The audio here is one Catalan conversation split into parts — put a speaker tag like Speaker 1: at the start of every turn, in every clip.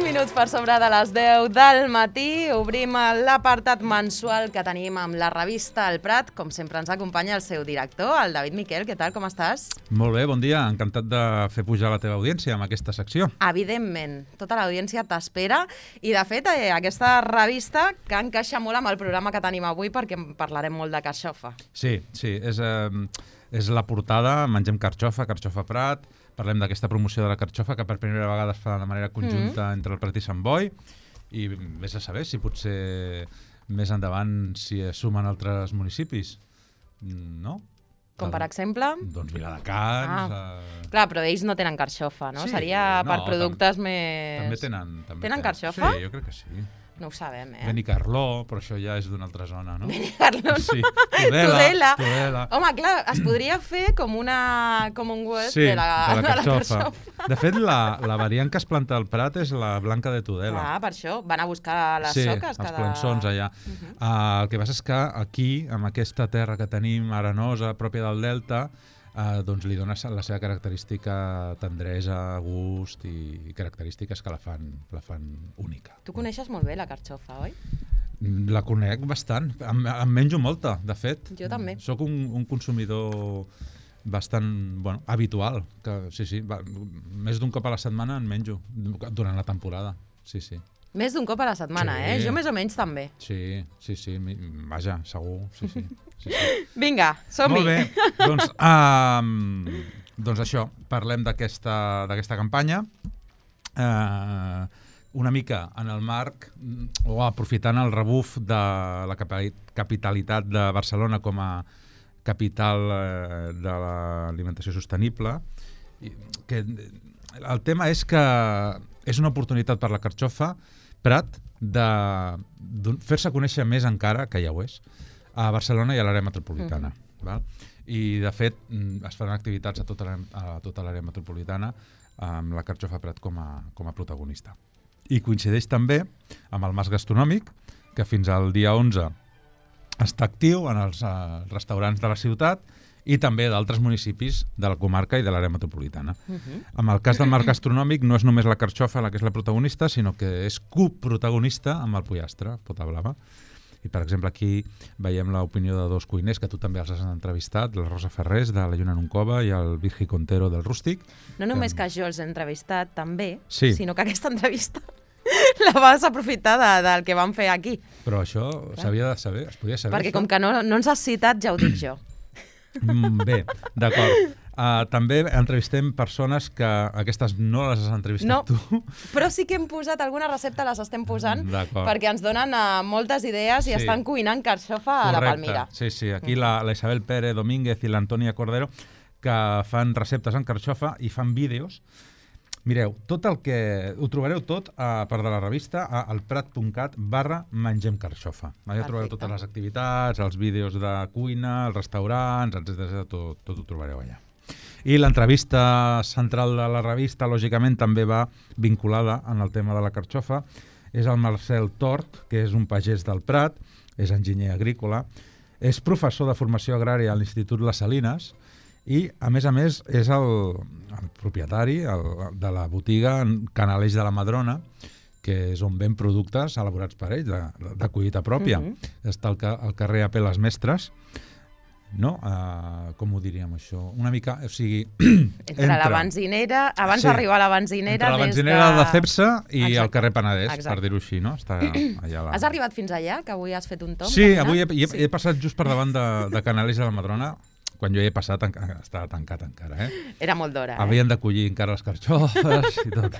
Speaker 1: minuts per sobre de les 10 del matí. Obrim l'apartat mensual que tenim amb la revista El Prat. Com sempre ens acompanya el seu director, el David Miquel. Què tal, com estàs?
Speaker 2: Molt bé, bon dia. Encantat de fer pujar la teva audiència amb aquesta secció.
Speaker 1: Evidentment, tota l'audiència t'espera. I, de fet, aquesta revista que encaixa molt amb el programa que tenim avui perquè parlarem molt de carxofa.
Speaker 2: Sí, és la portada, mengem carxofa, carxofa Prat. Parlem d'aquesta promoció de la carxofa que per primera vegada es fa de manera conjunta entre el Prat i Sant Boi. I vés a saber si potser més endavant s'hi sumen altres municipis. No?
Speaker 1: Com per exemple?
Speaker 2: Doncs Viladecans...
Speaker 1: Clar, però ells no tenen carxofa, no?
Speaker 2: Sí,
Speaker 1: Seria per productes
Speaker 2: més...
Speaker 1: També tenen carxofa?
Speaker 2: Sí, jo crec que sí.
Speaker 1: No ho sabem,
Speaker 2: Benicarló, però això ja és d'una altra zona, no?
Speaker 1: Benicarló, no?
Speaker 2: Sí.
Speaker 1: Tudela.
Speaker 2: Tudela.
Speaker 1: Home, clar, es podria fer com un web de la carxofa.
Speaker 2: De fet, la variant que es planta al Prat és la blanca de Tudela.
Speaker 1: Ah, per això. Van a buscar les soques.
Speaker 2: Sí, els plançons allà. El que passa és que aquí, amb aquesta terra que tenim arenosa, pròpia del Delta, doncs li dona la seva característica tendresa, gust i característiques que la fan única.
Speaker 1: Tu coneixes molt bé la carxofa, oi?
Speaker 2: La conec bastant. Em menjo molta, de fet.
Speaker 1: Jo també.
Speaker 2: Soc un consumidor bastant habitual. Sí, més d'un cop a la setmana en menjo, durant la temporada. Sí.
Speaker 1: Més d'un cop a la setmana,
Speaker 2: sí.
Speaker 1: Jo més o menys també.
Speaker 2: Sí. Vaja, segur. Sí.
Speaker 1: Vinga, som-hi.
Speaker 2: Molt bé, doncs això, parlem d'aquesta campanya. Una mica en el marc, o aprofitant el rebuf de la capitalitat de Barcelona com a capital de l'alimentació sostenible, que el tema és que és una oportunitat per la carxofa Prat de fer-se conèixer més encara, que ja ho és, a Barcelona i a l'àrea metropolitana. Val? I, de fet, es faran activitats a tota l'àrea metropolitana amb la carxofa Prat com a protagonista. I coincideix també amb el Mas Gastronòmic, que fins al dia 11 està actiu en els restaurants de la ciutat i també d'altres municipis de la comarca i de l'àrea metropolitana. En el cas del Mas Gastronòmic no és només la carxofa la que és la protagonista, sinó que és coprotagonista amb el pollastre, Pota Blava. I, per exemple, aquí veiem l'opinió de dos cuiners, que tu també els has entrevistat, la Rosa Ferrés, de la Lluna Nuncova, i el Virgi Contero, del Rústic.
Speaker 1: No només que jo els he entrevistat, també,
Speaker 2: sí,
Speaker 1: sinó que aquesta entrevista la vas aprofitar del que vam fer aquí.
Speaker 2: Però això s'havia de saber, es podia saber.
Speaker 1: Perquè
Speaker 2: això?
Speaker 1: Com que no ens has citat, ja ho dic jo.
Speaker 2: Bé, d'acord. També entrevistem persones que aquestes no les has entrevistat tu.
Speaker 1: Però sí que hem posat alguna recepta, les estem posant,
Speaker 2: perquè
Speaker 1: ens donen moltes idees i estan cuinant carxofa a la Palmira.
Speaker 2: Sí, aquí la Isabel Pérez Domínguez i l'Antònia Cordero, que fan receptes en carxofa i fan vídeos. Mireu, ho trobareu tot a part de la revista a elprat.cat/mengemcarxofa. Allà trobareu totes les activitats, els vídeos de cuina, els restaurants, etc. Tot ho trobareu allà. I l'entrevista central de la revista, lògicament, també va vinculada en el tema de la carxofa. És el Marcel Tort, que és un pagès del Prat, és enginyer agrícola, és professor de formació agrària a l'Institut Les Salines i, a més, és el propietari de la botiga Canaleix de la Madrona, que és on ven productes elaborats per ell, de collita pròpia. Està al carrer AP Les Mestres, no? Com ho diríem, això? Una mica, o sigui...
Speaker 1: Entre la benzinera, abans d'arribar a la benzinera...
Speaker 2: Entre la benzinera de Cepsa i el carrer Penedès, per dir-ho així, no? Està allà.
Speaker 1: Has arribat fins allà, que avui has fet un tomb?
Speaker 2: Sí, avui he passat just per davant de Canaleix de la Madrona. Quan jo hi he passat estava tancat encara.
Speaker 1: Era molt d'hora.
Speaker 2: Havien de collir encara les carxofes i tot.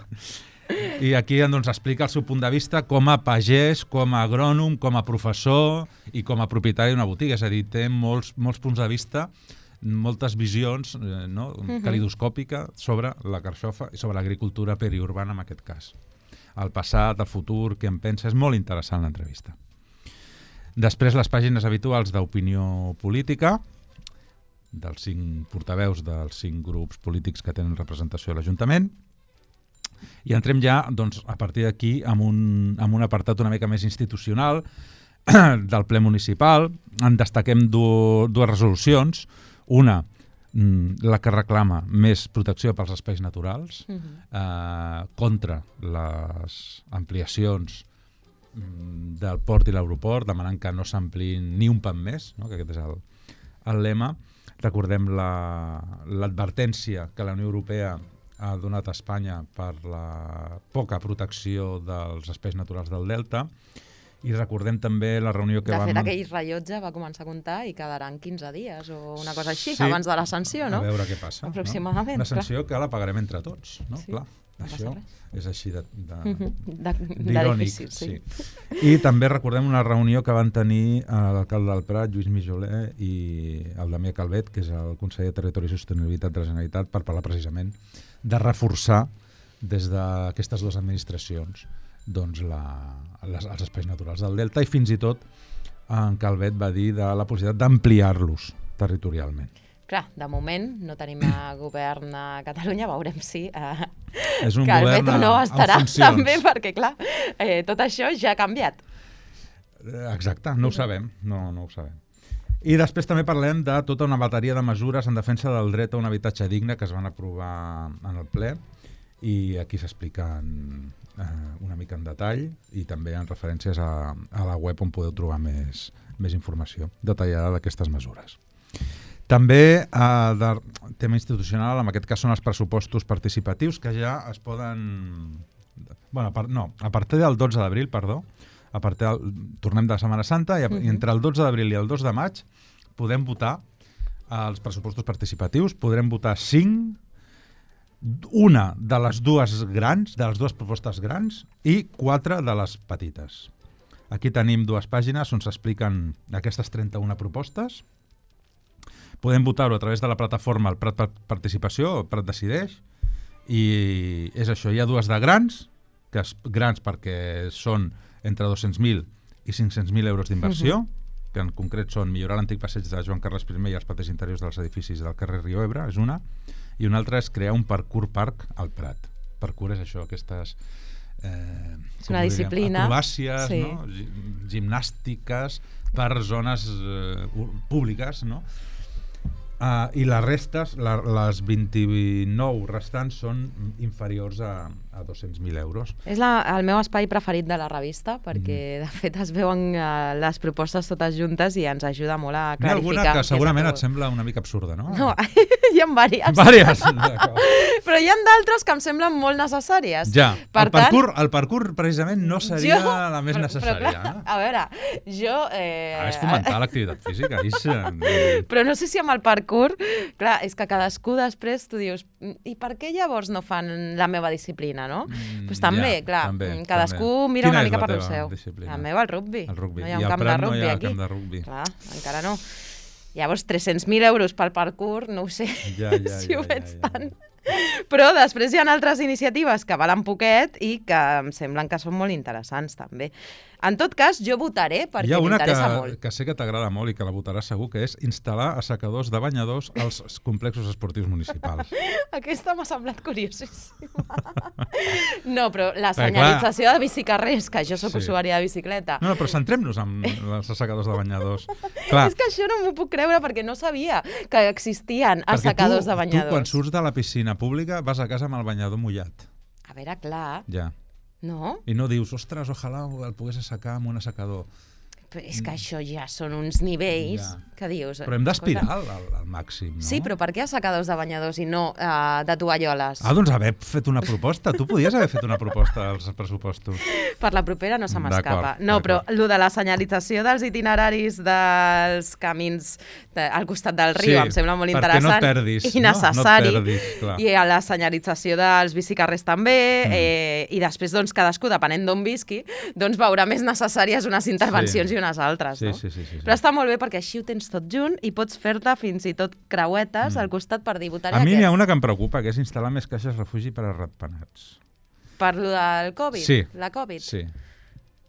Speaker 2: I aquí doncs, explica el seu punt de vista com a pagès, com a agrònom, com a professor i com a propietari d'una botiga. És a dir, té molts punts de vista, moltes visions calidoscòpica sobre la carxofa i sobre l'agricultura periurbana en aquest cas. El passat, el futur, què en pensa, és molt interessant l'entrevista. Després les pàgines habituals d'opinió política, dels 5 portaveus dels 5 grups polítics que tenen representació a l'Ajuntament. I entrem ja, doncs, a partir d'aquí, amb un apartat una mica més institucional del ple municipal. En destaquem dues resolucions. Una, la que reclama més protecció pels espais naturals, contra les ampliacions del port i l'aeroport, demanant que no s'ampliïn ni un pam més, no? Que aquest és el lema. Recordem l'advertència que la Unió Europea ha donat a Espanya per la poca protecció dels espais naturals del Delta. I recordem també la reunió que
Speaker 1: De
Speaker 2: vam...
Speaker 1: fet, aquell rellotge va començar a comptar i quedaran 15 dies o una cosa així, abans de la sanció, no?
Speaker 2: A veure què passa.
Speaker 1: Aproximadament.
Speaker 2: Una sanció que la pagarem entre tots, no?
Speaker 1: Sí,
Speaker 2: Clar,
Speaker 1: no
Speaker 2: això és així
Speaker 1: d'irònic,
Speaker 2: difícil, sí. I també recordem una reunió que van tenir l'alcalde del Prat, Lluís Mijoler, i el Damià Calvet, que és el conseller de Territori i Sostenibilitat de la Generalitat, per parlar precisament de reforçar des d'aquestes dues administracions doncs els espais naturals del Delta, i fins i tot en Calvet va dir de la possibilitat d'ampliar-los territorialment.
Speaker 1: Clar, de moment no tenim govern a Catalunya, veurem si
Speaker 2: És un
Speaker 1: Calvet
Speaker 2: govern
Speaker 1: o no estarà
Speaker 2: en funcions.
Speaker 1: també, perquè clar, tot això ja ha canviat.
Speaker 2: Exacte, no ho sabem, no ho sabem. I després també parlem de tota una bateria de mesures en defensa del dret a un habitatge digne que es van aprovar en el ple, i aquí s'expliquen una mica en detall, i també en referències a la web on podeu trobar més informació detallada d'aquestes mesures. També de tema institucional, en aquest cas són els pressupostos participatius, que ja es poden... a partir del 12 d'abril, tornem de Setmana Santa, i entre el 12 d'abril i el 2 de maig podem votar els pressupostos participatius, podrem votar 5, una de les dues propostes grans i 4 de les petites. Aquí tenim dues pàgines on s'expliquen aquestes 31 propostes. Podem votar-ho a través de la plataforma El Prat Participació, o Prat Decideix, i és això, hi ha dues de grans, grans perquè són entre 200.000 i 500.000 euros d'inversió, que en concret són millorar l'antic passeig de Joan Carles I i els patins interiors dels edificis del carrer Rio Ebre, és una, i una altra és crear un parkour park al Prat. Parkour és això, aquestes
Speaker 1: és una disciplina,
Speaker 2: acrobàcies, no? Gimnàstiques per zones públiques, no? I les restes, les 29 restants, són inferiors a 200.000 euros.
Speaker 1: És el meu espai preferit de la revista, perquè de fet es veuen les propostes totes juntes i ens ajuda molt a clarificar.
Speaker 2: N'hi ha alguna que segurament et sembla una mica absurda, no?
Speaker 1: No, hi ha diverses. Però hi ha d'altres que em semblen molt necessàries.
Speaker 2: Ja, el parkour precisament no seria la més necessària.
Speaker 1: A veure, jo...
Speaker 2: És fomentar l'activitat física.
Speaker 1: Però no sé si amb el parkour, clar, és que cadascú després tu dius, i per què llavors no fan la meva disciplina, no? Doncs també, clar, cadascú mira una mica per lo seu. La meva, el rugbi. No hi ha un camp de rugbi aquí. Clar, encara no. Llavors, 300.000 euros pel parkour, no ho sé si ho veig tant. Però després hi ha altres iniciatives que valen poquet i que em semblen que són molt interessants també. En tot cas, jo votaré perquè m'interessa molt.
Speaker 2: Hi ha una que sé que t'agrada molt i que la votaràs segur, que és instal·lar assecadors de banyadors als complexos esportius municipals. Aquesta
Speaker 1: m'ha semblat curiosíssima. No, però la senyalització de bicicarrers, que jo sóc usuària de bicicleta...
Speaker 2: No, però centrem-nos en els assecadors de banyadors.
Speaker 1: És que això no m'ho puc creure perquè no sabia que existien assecadors de banyadors.
Speaker 2: Tu, quan surts de la piscina pública, vas a casa amb el banyador mullat.
Speaker 1: A veure, clar...
Speaker 2: Ja.
Speaker 1: No?
Speaker 2: I no dius, ostres, ojalà el pogués assecar amb un assecador.
Speaker 1: Però és que això ja són uns nivells que dius...
Speaker 2: Però hem d'aspirar al màxim, no?
Speaker 1: Sí, però per què assecadors de banyadors i no de tovalloles?
Speaker 2: Doncs haver fet una proposta. Tu podies haver fet una proposta als pressupostos.
Speaker 1: Per la propera no se m'escapa. No, però el de la senyalització dels itineraris dels camins al costat del riu em sembla molt interessant.
Speaker 2: Perquè no et perdis.
Speaker 1: I necessari.
Speaker 2: No et perdis, clar.
Speaker 1: I a la senyalització dels bicicarrers també. I després, doncs, cadascú, depenent d'on visqui, doncs veurà més necessàries unes intervencions i unes altres, no?
Speaker 2: Sí.
Speaker 1: Però està molt bé perquè així ho tens tot junt i pots fer-te fins i tot creuetes al costat per dir votaré
Speaker 2: aquests. A mi
Speaker 1: n'hi
Speaker 2: ha una que em preocupa, que és instal·lar més caixes refugi per a ratpenats.
Speaker 1: Per lo del Covid?
Speaker 2: Sí.
Speaker 1: La Covid?
Speaker 2: Sí.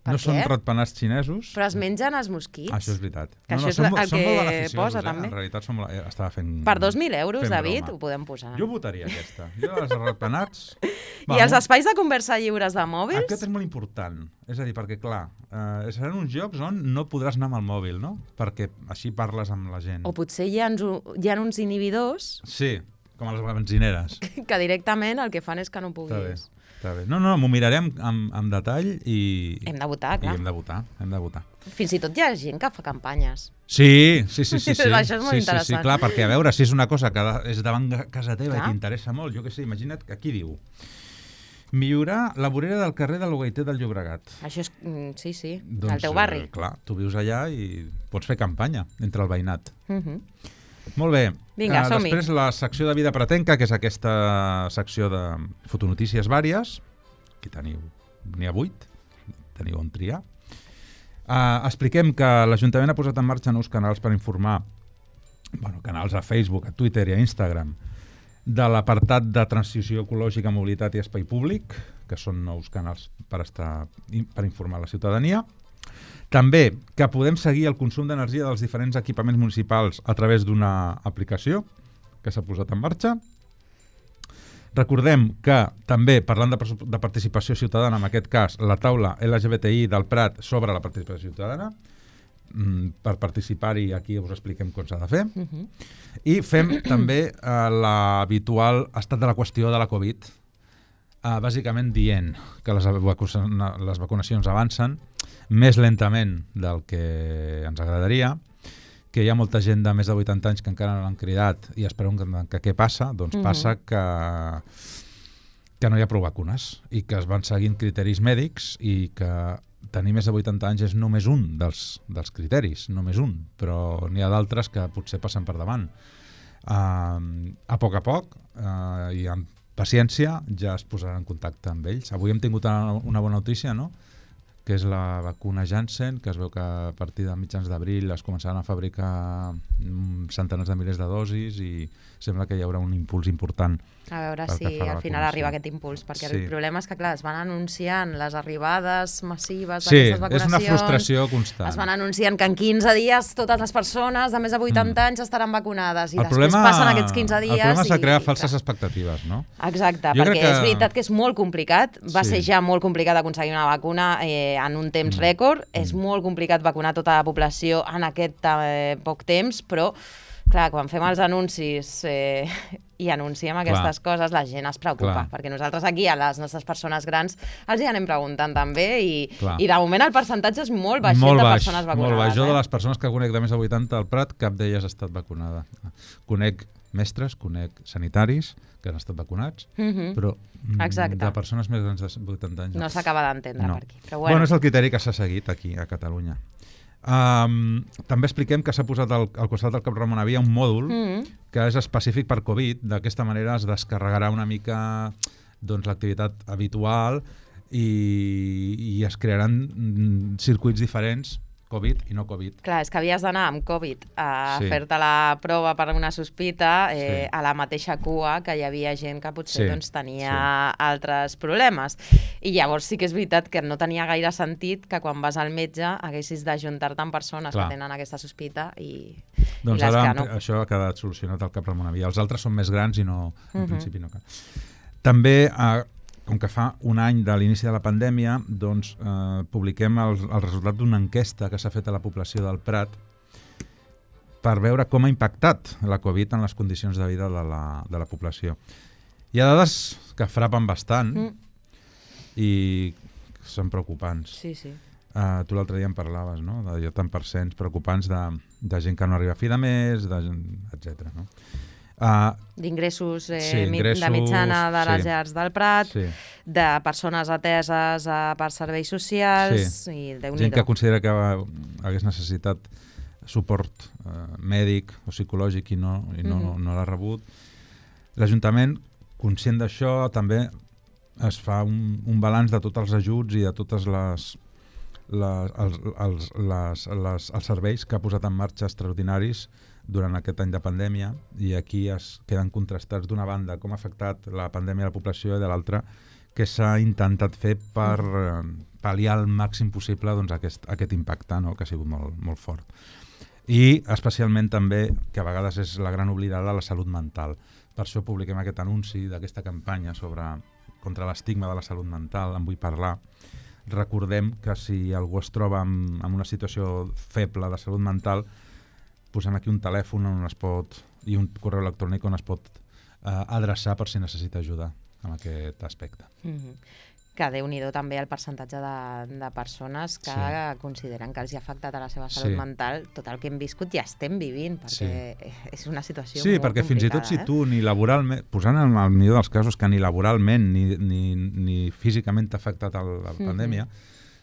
Speaker 1: Per
Speaker 2: no
Speaker 1: què?
Speaker 2: són ratpenats xinesos.
Speaker 1: Però es mengen els mosquits.
Speaker 2: Això és veritat.
Speaker 1: Que això és el que posa, també.
Speaker 2: En realitat estava fent...
Speaker 1: Per 2.000 euros, David,
Speaker 2: broma.
Speaker 1: ho podem posar.
Speaker 2: Jo votaria aquesta. Jo els ratpenats...
Speaker 1: I els espais de conversa lliures de mòbils?
Speaker 2: Aquest és molt important. És a dir, perquè, clar, seran uns jocs on no podràs anar amb el mòbil, no? Perquè així parles amb la gent.
Speaker 1: O potser hi ha uns inhibidors...
Speaker 2: Sí, com a les benzineres.
Speaker 1: Que directament el que fan és que no puguis...
Speaker 2: Està bé. No, m'ho mirarem amb detall i...
Speaker 1: Hem de votar, clar.
Speaker 2: I hem de votar. Fins
Speaker 1: i tot hi ha gent que fa campanyes.
Speaker 2: Sí.
Speaker 1: Això és molt interessant.
Speaker 2: Sí, clar, perquè a veure, si és una cosa que és davant casa teva i t'interessa molt, jo què sé, imagina't que aquí diu millorar la vorera del carrer de l'Ogaiter del Llobregat.
Speaker 1: Això és... Sí, doncs, al teu barri.
Speaker 2: Clar, tu vius allà i pots fer campanya entre el veïnat. Molt bé.
Speaker 1: Vinga, som-hi.
Speaker 2: Després la secció de Vida Pretenca, que és aquesta secció de fotonotícies vàries. Aquí n'hi ha 8, teniu on triar. Expliquem que l'Ajuntament ha posat en marxa nous canals per informar, canals a Facebook, a Twitter i a Instagram, de l'apartat de transició ecològica, mobilitat i espai públic, que són nous canals per informar la ciutadania. També que podem seguir el consum d'energia dels diferents equipaments municipals a través d'una aplicació que s'ha posat en marxa. Recordem que també, parlant de participació ciutadana, en aquest cas, la taula LGBTI del Prat sobre la participació ciutadana, per participar-hi aquí us expliquem com s'ha de fer. I fem també l'habitual estat de la qüestió de la Covid, bàsicament dient que les vacunacions avancen més lentament del que ens agradaria, que hi ha molta gent de més de 80 anys que encara no l'han cridat i esperem que què passa? Doncs passa que no hi ha prou vacunes i que es van seguint criteris mèdics i que tenir més de 80 anys és només un dels criteris, només un, però n'hi ha d'altres que potser passen per davant. A poc i amb paciència ja es posarà en contacte amb ells. Avui hem tingut una bona notícia, no?, que és la vacuna Janssen, que es veu que a partir de mitjans d'abril es començaran a fabricar centenars de milers de dosis i sembla que hi haurà un impuls important.
Speaker 1: A veure si al final arriba aquest impuls, perquè el problema és que, clar, es van anunciant les arribades massives d'aquestes vacunacions.
Speaker 2: Sí, és una frustració constant.
Speaker 1: Es van anunciant que en 15 dies totes les persones de més de 80 anys estaran vacunades i després passen aquests 15 dies...
Speaker 2: El problema és crear falses expectatives, no?
Speaker 1: Exacte, perquè és veritat que és molt complicat, va ser ja molt complicat aconseguir una vacuna en un temps rècord, és molt complicat vacunar tota la població en aquest poc temps, però clar, quan fem els anuncis i anunciem aquestes coses, la gent es preocupa, perquè nosaltres aquí a les nostres persones grans els hi anem preguntant també i de moment el percentatge és molt baix de persones vacunades.
Speaker 2: Molt baix. Jo de les persones que conec de més de 80 al Prat, cap d'elles ha estat vacunada. Conec mestres, conec sanitaris que han estat vacunats, però de persones més grans de 80 anys
Speaker 1: no s'acaba d'entendre per aquí.
Speaker 2: Bueno, és el criteri que s'ha seguit aquí a Catalunya. També expliquem que s'ha posat al costat del Cap Ramon Avia un mòdul que és específic per Covid. D'aquesta manera es descarregarà una mica l'activitat habitual i es crearan circuits diferents, Covid i no Covid.
Speaker 1: Clar, és que havies d'anar amb Covid a fer-te la prova per una sospita a la mateixa cua que hi havia gent que potser tenia altres problemes. I llavors sí que és veritat que no tenia gaire sentit que quan vas al metge haguessis d'ajuntar-te amb persones que tenen aquesta sospita i
Speaker 2: les
Speaker 1: que no.
Speaker 2: Doncs ara això ha quedat solucionat al Cap Ramon Avia. Els altres són més grans i no, en principi no cal. També, com que fa un any de l'inici de la pandèmia, doncs publiquem el resultat d'una enquesta que s'ha fet a la població del Prat per veure com ha impactat la Covid en les condicions de vida de la població. Hi ha dades que frapen bastant i són preocupants.
Speaker 1: Sí.
Speaker 2: Tu l'altre dia em parlaves, no?, de tant percents preocupants de gent que no arriba a fi de mes, etc. no?
Speaker 1: D'ingressos de mitjana de les llars del Prat, de persones ateses per serveis socials i Déu-n'hi-do.
Speaker 2: Gent que considera que hagués necessitat suport mèdic o psicològic i no l'ha rebut. L'Ajuntament, conscient d'això, també es fa un balanç de tots els ajuts i de totes els serveis que ha posat en marxa extraordinaris durant aquest any de pandèmia, i aquí es queden contrastats d'una banda com ha afectat la pandèmia a la població i de l'altra que s'ha intentat fer per pal·liar al màxim possible doncs, aquest impacte, no? Que ha sigut molt, molt fort. I especialment també, que a vegades és la gran oblidada, la salut mental. Per això publiquem aquest anunci d'aquesta campanya contra l'estigma de la salut mental, en vull parlar. Recordem que si algú es troba en una situació feble de salut mental, posem aquí un telèfon on es pot, i un correu electrònic on es pot adreçar per si necessita ajuda en aquest aspecte.
Speaker 1: Que Déu-n'hi-do també el percentatge de persones que consideren que els ha afectat a la seva salut mental tot el que hem viscut i estem vivint, perquè és una situació molt complicada. Sí, perquè
Speaker 2: fins i tot si tu ni laboralment, posant en el millor dels casos que ni laboralment ni físicament t'ha afectat la pandèmia,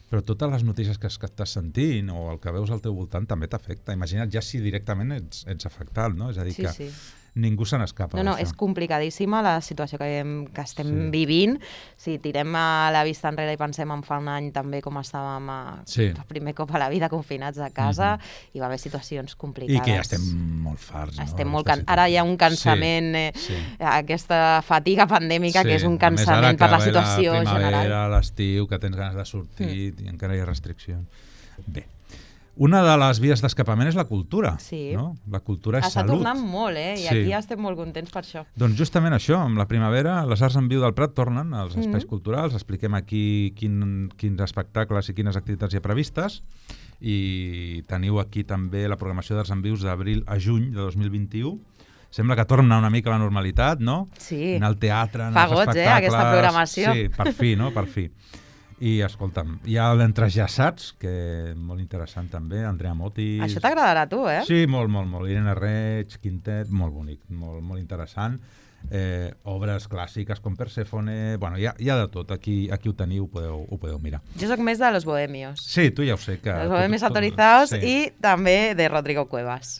Speaker 2: però totes les notícies que estàs sentint o el que veus al teu voltant també t'afecta. Imagina't ja si directament ets afectat, no? És a dir, que ningú se n'escapa d'això.
Speaker 1: No, és complicadíssima la situació que estem vivint. Si tirem a la vista enrere i pensem en fa un any també com estàvem per primer cop a la vida confinats a casa, hi va haver situacions complicades.
Speaker 2: I que ja estem molt farts.
Speaker 1: Estem molt ara hi ha un cansament, aquesta fatiga pandèmica que és un cansament per la situació general.
Speaker 2: La primavera, l'estiu, que tens ganes de sortir i encara hi ha restriccions. Bé. Una de les vies d'escapament és la cultura. No? La cultura és salut.
Speaker 1: Està tornant molt, i aquí estem molt contents per això.
Speaker 2: Doncs justament això, amb la primavera, les Arts en Viu del Prat tornen als espais culturals, expliquem aquí quins espectacles i quines activitats hi ha previstes, i teniu aquí també la programació d'Arts en Vius d'abril a juny de 2021. Sembla que torna una mica a la normalitat, no?
Speaker 1: Sí.
Speaker 2: Anar al teatre,
Speaker 1: anar als espectacles. Fa goig, aquesta programació.
Speaker 2: Sí, per fi, no? Per fi. I escolta'm, hi ha l'Entrejaçats, que és molt interessant també, Andrea Motis...
Speaker 1: Això t'agradarà a tu, eh?
Speaker 2: Sí, molt, molt, molt. Irene Reig, Quintet, molt bonic, molt, molt interessant. Obres clàssiques com Perséfone... Bueno, hi ha de tot, aquí ho teniu, ho podeu mirar.
Speaker 1: Jo soc més de Los Bohemios.
Speaker 2: Sí, tu ja ho sé.
Speaker 1: Los Bohemios Autorizados i també de Rodrigo Cuevas.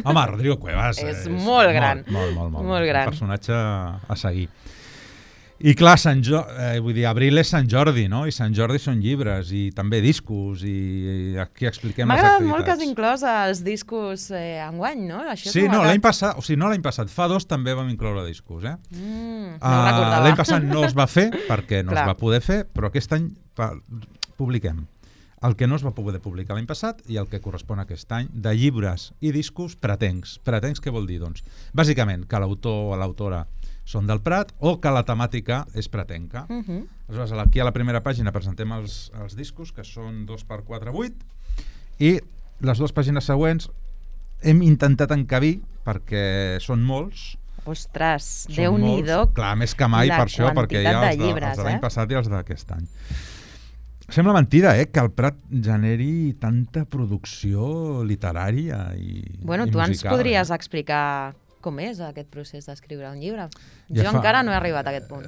Speaker 2: Home, Rodrigo Cuevas
Speaker 1: és molt gran.
Speaker 2: Molt gran. Un personatge a seguir. I clar, abril és Sant Jordi, no? I Sant Jordi són llibres i també discos, i aquí expliquem les activitats.
Speaker 1: M'agrada molt que has inclòs els discos enguany, no?
Speaker 2: Sí, no, l'any passat, fa 2 també vam incloure discos,
Speaker 1: no ho recordava.
Speaker 2: L'any passat no es va fer perquè no es va poder fer, però aquest any publiquem el que no es va poder publicar l'any passat i el que correspon a aquest any, de llibres i discos pretencs. Pretencs què vol dir? Doncs, bàsicament, que l'autor o l'autora són del Prat o que la temàtica és pratenca. Aleshores, aquí a la primera pàgina presentem els discos, que són 2x4x8, i les 2 pàgines següents hem intentat encabir, perquè són molts.
Speaker 1: Ostres, Déu-n'hi-do.
Speaker 2: Clar, més que mai per això, perquè hi ha els de l'any passat i els d'aquest any. Sembla mentida, que el Prat generi tanta producció literària i musical.
Speaker 1: Tu ens podries explicar com és aquest procés d'escriure un llibre? Jo encara no he arribat a aquest punt.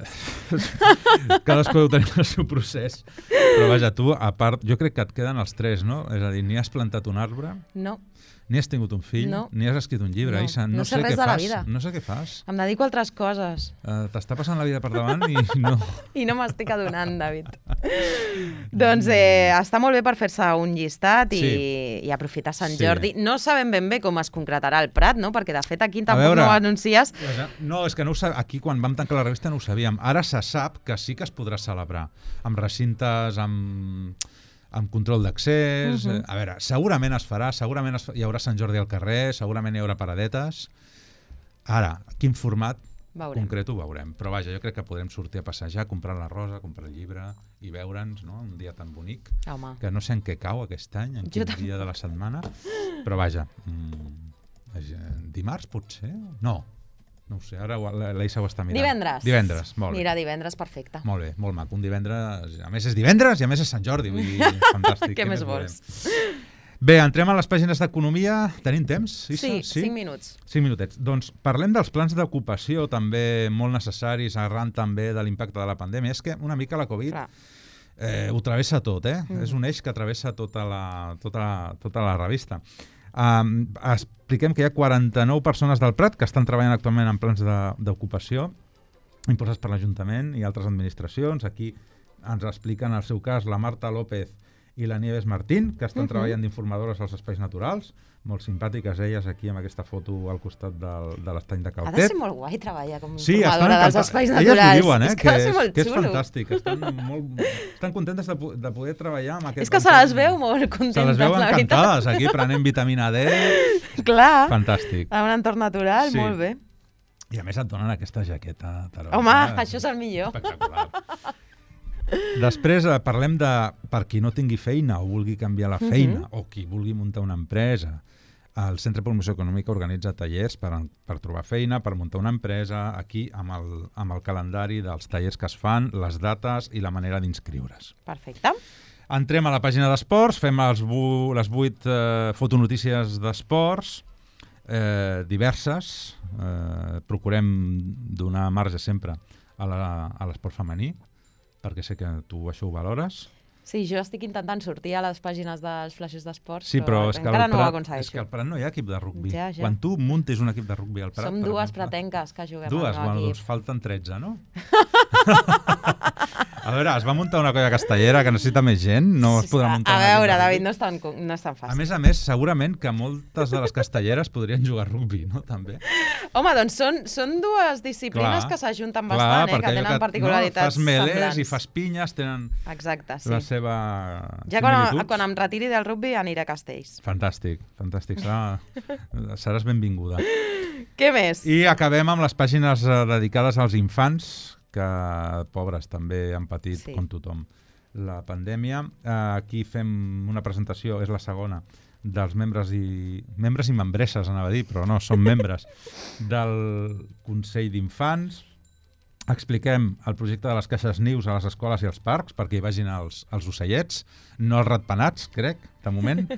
Speaker 2: Cadascú deu tenir el seu procés. Però vaja, tu, a part, jo crec que et queden els 3, no? És a dir, ni has plantat un arbre...
Speaker 1: No.
Speaker 2: Ni has tingut un fill, ni has escrit un llibre.
Speaker 1: No sé res de la vida.
Speaker 2: No sé què fas.
Speaker 1: Em dedico a altres coses.
Speaker 2: T'està passant la vida per davant i no...
Speaker 1: I no m'estic adonant, David. Doncs està molt bé per fer-se un llistat i aprofitar Sant Jordi. No sabem ben bé com es concretarà el Prat, no? Perquè de fet aquí tampoc no ho anuncies.
Speaker 2: No, és que aquí quan vam tancar la revista no ho sabíem. Ara se sap que sí que es podrà celebrar amb recintes, amb control d'accés. A veure, segurament es farà, segurament hi haurà Sant Jordi al carrer, segurament hi haurà paradetes. Ara, quin format concret ho veurem. Però vaja, jo crec que podrem sortir a passejar, comprar la rosa, comprar el llibre i veure'ns, no? Un dia tan bonic, que no sé en què cau aquest any, en quin dia de la setmana, però vaja, dimarts potser? No ho sé, ara l'Eisa ho està mirant. Divendres, molt bé.
Speaker 1: Mira, divendres, perfecte.
Speaker 2: Molt bé, molt maco. Un divendres, a més és divendres i a més és Sant Jordi, vull dir, fantàstic.
Speaker 1: Què més vols?
Speaker 2: Bé, entrem a les pàgines d'economia. Tenim temps, Issa?
Speaker 1: Sí, 5 minuts.
Speaker 2: 5 minutets. Doncs parlem dels plans d'ocupació, també molt necessaris, arran també de l'impacte de la pandèmia. És que una mica la Covid ho travessa tot, És un eix que travessa tota la revista. Expliquem que hi ha 49 persones del Prat que estan treballant actualment en plans d'ocupació impulsats per l'Ajuntament i altres administracions. Aquí ens expliquen el seu cas la Marta López i la Nieves Martín, que estan treballant d'informadores als espais naturals, molt simpàtiques elles aquí amb aquesta foto al costat de l'estany de Caltet.
Speaker 1: Ha de ser molt guai treballar com informadora dels espais naturals.
Speaker 2: Elles ho diuen,
Speaker 1: que
Speaker 2: és fantàstic. Estan contentes de poder treballar amb aquest...
Speaker 1: És que se les veu molt contentes,
Speaker 2: se les veu encantades aquí, prenent vitamina D.
Speaker 1: Clar.
Speaker 2: Fantàstic.
Speaker 1: En un entorn natural, molt bé.
Speaker 2: I a més et donen aquesta jaqueta taronja.
Speaker 1: Home, això és el millor.
Speaker 2: Espectacular. Després parlem de per qui no tingui feina o vulgui canviar la feina o qui vulgui muntar una empresa. El Centre de Promoció Econòmica organitza tallers per trobar feina, per muntar una empresa, aquí amb el calendari dels tallers que es fan, les dates i la manera d'inscriure's.
Speaker 1: Perfecte.
Speaker 2: Entrem a la pàgina d'esports, fem les 8 fotonotícies d'esports diverses. Procurem donar marge sempre a l'esport femení, perquè sé que tu això ho valores.
Speaker 1: Sí, jo estic intentant sortir a les pàgines dels flaixos d'esports,
Speaker 2: sí, però
Speaker 1: encara no ho aconsegueixo.
Speaker 2: És que al Prat no hi ha equip de rugbi.
Speaker 1: Ja.
Speaker 2: Quan tu muntis un equip de rugbi al Prat...
Speaker 1: Som dues pratenques que juguem
Speaker 2: al meu equip. Doncs falten 13, no? A veure, es va muntar una colla castellera que necessita més gent, no es podrà muntar...
Speaker 1: A veure, David, no és tan fàcil.
Speaker 2: A més, segurament que moltes de les castelleres podrien jugar a rugbi, no? També.
Speaker 1: Home, doncs són dues disciplines que s'ajunten bastant, que tenen particularitats semblants.
Speaker 2: Fas melés i fas pinyes, tenen la seva
Speaker 1: similitud. Ja quan em retiri del rugbi aniré a Castells.
Speaker 2: Fantàstic. Seràs benvinguda.
Speaker 1: Què més?
Speaker 2: I acabem amb les pàgines dedicades als infants, que pobres també han patit, com tothom, la pandèmia. Aquí fem una presentació, és la segona, dels membres i membresses, anava a dir, però no, són membres del Consell d'Infants. Expliquem el projecte de les caixes nius a les escoles i als parcs, perquè hi vagin els ocellets, no els ratpenats, crec, de moment,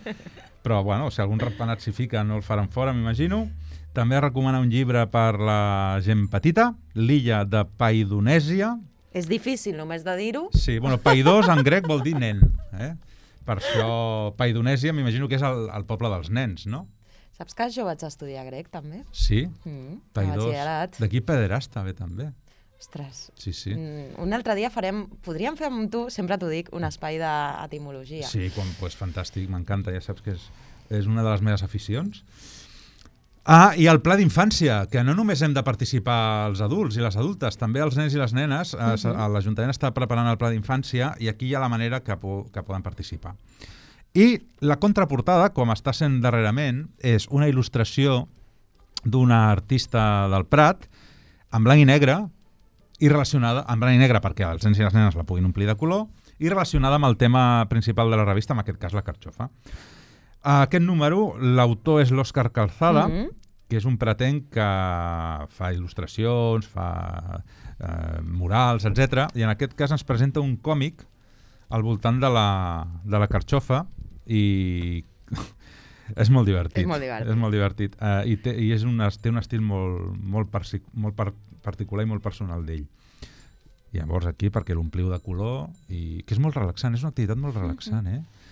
Speaker 2: però bueno, si algun ratpenat s'hi fica no el faran fora, m'imagino. També recomana un llibre per la gent petita, L'illa de Paidonèsia.
Speaker 1: És difícil només de dir-ho.
Speaker 2: Sí, bueno, paidós en grec vol dir nen. Per això Paidonèsia m'imagino que és el poble dels nens, no?
Speaker 1: Saps que jo vaig estudiar grec, també?
Speaker 2: Sí? Paidós. D'aquí pederasta, bé, també.
Speaker 1: Ostres.
Speaker 2: Sí.
Speaker 1: Un altre dia podríem fer amb tu, sempre t'ho dic, un espai d'etimologia.
Speaker 2: Sí, doncs fantàstic, m'encanta, ja saps que és una de les meves aficions. I el pla d'infància, que no només hem de participar els adults i les adultes, també els nens i les nenes. L'Ajuntament està preparant el pla d'infància i aquí hi ha la manera que poden participar. I la contraportada, com està sent darrerament, és una il·lustració d'una artista del Prat en blanc i negre, i relacionada amb blanc i negre perquè els nens i les nenes la puguin omplir de color, i relacionada amb el tema principal de la revista, en aquest cas la carxofa. Aquest número, l'autor és l'Òscar Calzada, que és un pratenc que fa il·lustracions, fa murals, etc. I en aquest cas ens presenta un còmic al voltant de la carxofa i és molt divertit. És molt divertit. I té un estil molt particular i molt personal d'ell. I llavors aquí, perquè l'ompliu de color, i que és molt relaxant, és una activitat molt relaxant,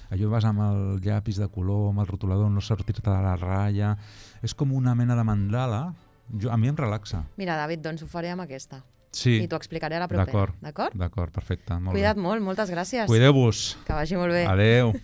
Speaker 2: Allò vas amb el llapis de color, amb el rotulador, no sortir-te de la ratlla. És com una mena de mandala. A mi em relaxa.
Speaker 1: Mira, David, doncs ho faré amb aquesta.
Speaker 2: Sí.
Speaker 1: I t'ho explicaré a la propera.
Speaker 2: D'acord, perfecte.
Speaker 1: Cuida't molt, moltes gràcies.
Speaker 2: Cuideu-vos.
Speaker 1: Que vagi molt bé.
Speaker 2: Adeu.